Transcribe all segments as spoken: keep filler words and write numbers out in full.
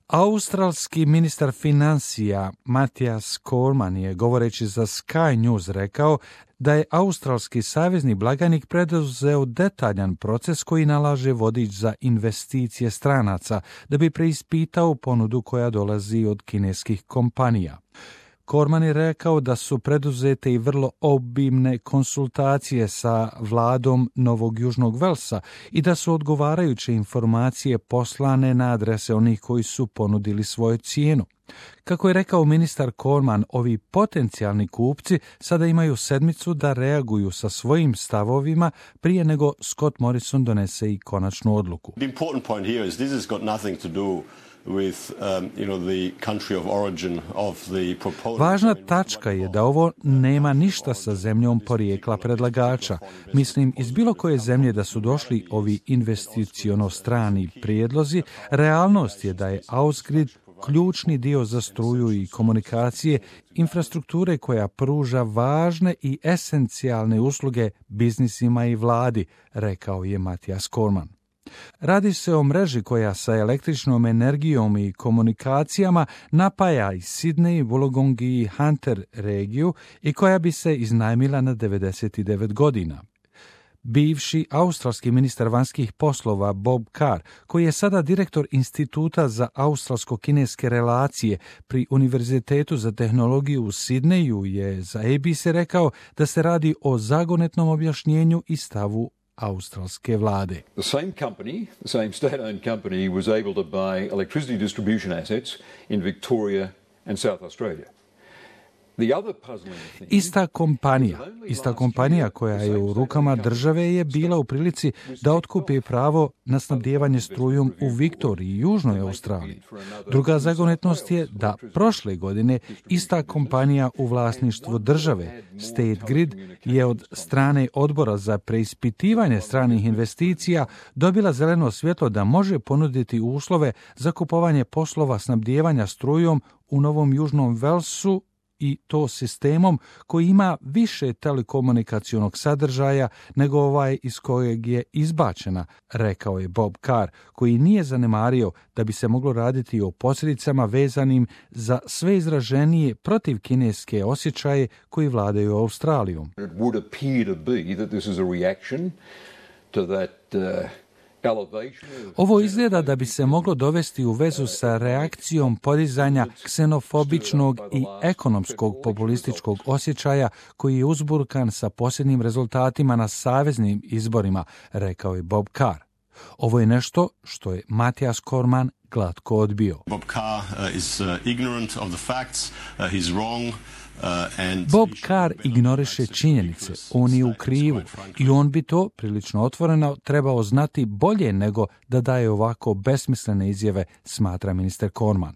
Australski ministar financija Matthias Cormann je, govoreći za Sky News, rekao da je australski savezni blagajnik preduzeo detaljan proces koji nalaže vodič za investicije stranaca da bi preispitao ponudu koja dolazi od kineskih kompanija. Cormann je rekao da su preduzete i vrlo obimne konsultacije sa vladom Novog Južnog Velsa i da su odgovarajuće informacije poslane na adrese onih koji su ponudili svoju cijenu. Kako je rekao ministar Cormann, ovi potencijalni kupci sada imaju sedmicu da reaguju sa svojim stavovima prije nego Scott Morrison donese i konačnu odluku. The important point here is this has got nothing to do with um, you know the country of origin of the proposal. Važna tačka je da ovo nema ništa sa zemljom porijekla predlagača. Mislim, iz bilo koje zemlje da su došli ovi investiciono strani prijedlozi, realnost je da je Ausgrid ključni dio za struju i komunikacije, infrastrukture koja pruža važne i esencijalne usluge biznisima i vladi, rekao je Matthias Cormann. Radi se o mreži koja sa električnom energijom i komunikacijama napaja i Sydney, Wollongong i Hunter regiju i koja bi se iznajmila na devedeset devet godina. Bivši australski ministar vanjskih poslova Bob Carr, koji je sada direktor Instituta za australsko-kineske relacije pri Univerzitetu za tehnologiju u Sidneju, je za A B C rekao da se radi o zagonetnom objašnjenju i stavu australske vlade. The same company, the same state-owned company, was able to buy electricity distribution assets in Victoria and South Australia. Ista kompanija, ista kompanija koja je u rukama države je bila u prilici da otkupi pravo na snabdijevanje strujom u Viktoriji i Južnoj Australiji. Druga zagonetnost je da prošle godine ista kompanija u vlasništvu države, State Grid, je od strane odbora za preispitivanje stranih investicija dobila zeleno svjetlo da može ponuditi uslove za kupovanje poslova snabdijevanja strujom u Novom Južnom Velsu, i to sistemom koji ima više telekomunikacionog sadržaja nego ovaj iz kojeg je izbačena, rekao je Bob Carr, koji nije zanemario da bi se moglo raditi o posljedicama vezanim za sve izraženije protiv kineske osjećaje koji vladaju Australijom. It would appear to be that this is a reaction to that uh... Ovo izgleda da bi se moglo dovesti u vezu sa reakcijom podizanja ksenofobičnog i ekonomskog populističkog osjećaja koji je uzburkan sa posljednjim rezultatima na saveznim izborima, rekao je Bob Carr. Ovo je nešto što je Matthias Cormann glatko odbio. Bob Carr uh, is uh, ignorant of the facts, uh, he's wrong. Bob Carr ignoriše činjenice, on je u krivu i on bi to prilično otvoreno trebao znati bolje nego da daje ovako besmislene izjave, smatra ministar Cormann.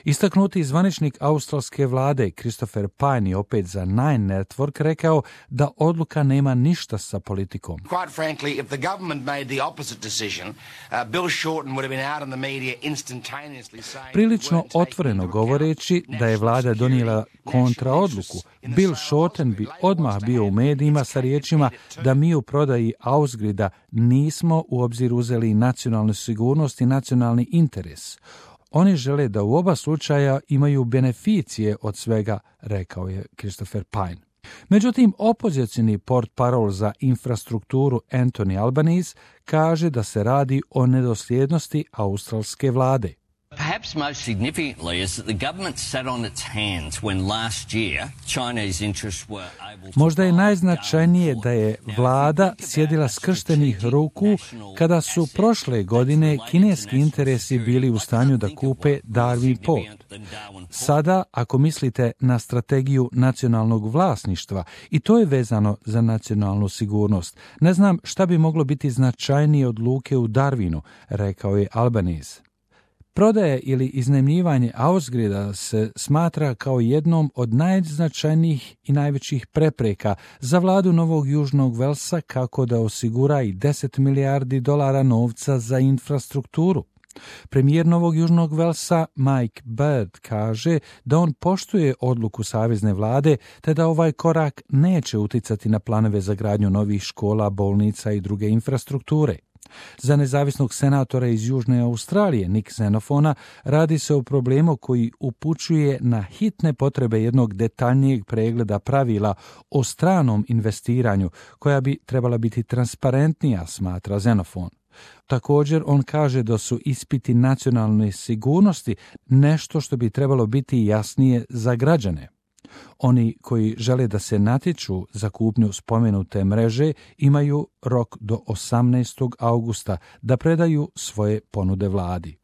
Istaknuti zvaničnik australske vlade Christopher Pyne je opet za Nine Network rekao da odluka nema ništa sa politikom. Quite frankly, if the government made the opposite decision, uh, Bill Shorten would have been out in the media instantaneously saying... Prilično otvoreno govoreći da je vlada donijela kontraodluku, Bill Shorten bi odmah bio u medijima sa riječima da mi u prodaji Ausgrida nismo u obzir uzeli nacionalnu sigurnost i nacionalni interes. Oni žele da u oba slučaja imaju beneficije od svega, rekao je Christopher Pyne. Međutim, opozicioni portparol za infrastrukturu Anthony Albanese kaže da se radi o nedosljednosti australske vlade. Perhaps most significantly is that the government sat on its hands when last year Chinese interests were able to... Možda je najznačajnije da je vlada sjedila skrštenih ruku kada su prošle godine kineski interesi bili u stanju da kupe Darwin Port. Sada, ako mislite na strategiju nacionalnog vlasništva, i to je vezano za nacionalnu sigurnost, ne znam šta bi moglo biti značajnije od luke u Darwinu, rekao je Albanese. Prodaje ili iznajmljivanje Ausgrida se smatra kao jednom od najznačajnijih i najvećih prepreka za vladu Novog Južnog Velsa kako da osigura i deset milijardi dolara novca za infrastrukturu. Premijer Novog Južnog Velsa Mike Baird kaže da on poštuje odluku savezne vlade te da ovaj korak neće uticati na planove za gradnju novih škola, bolnica i druge infrastrukture. Za nezavisnog senatora iz Južne Australije, Nick Xenofona, radi se o problemu koji upućuje na hitne potrebe jednog detaljnijeg pregleda pravila o stranom investiranju, koja bi trebala biti transparentnija, smatra Xenofon. Također, on kaže da su ispiti nacionalne sigurnosti nešto što bi trebalo biti jasnije za građane. Oni koji žele da se natječu za kupnju spomenute mreže imaju rok do osamnaestog augusta da predaju svoje ponude vladi.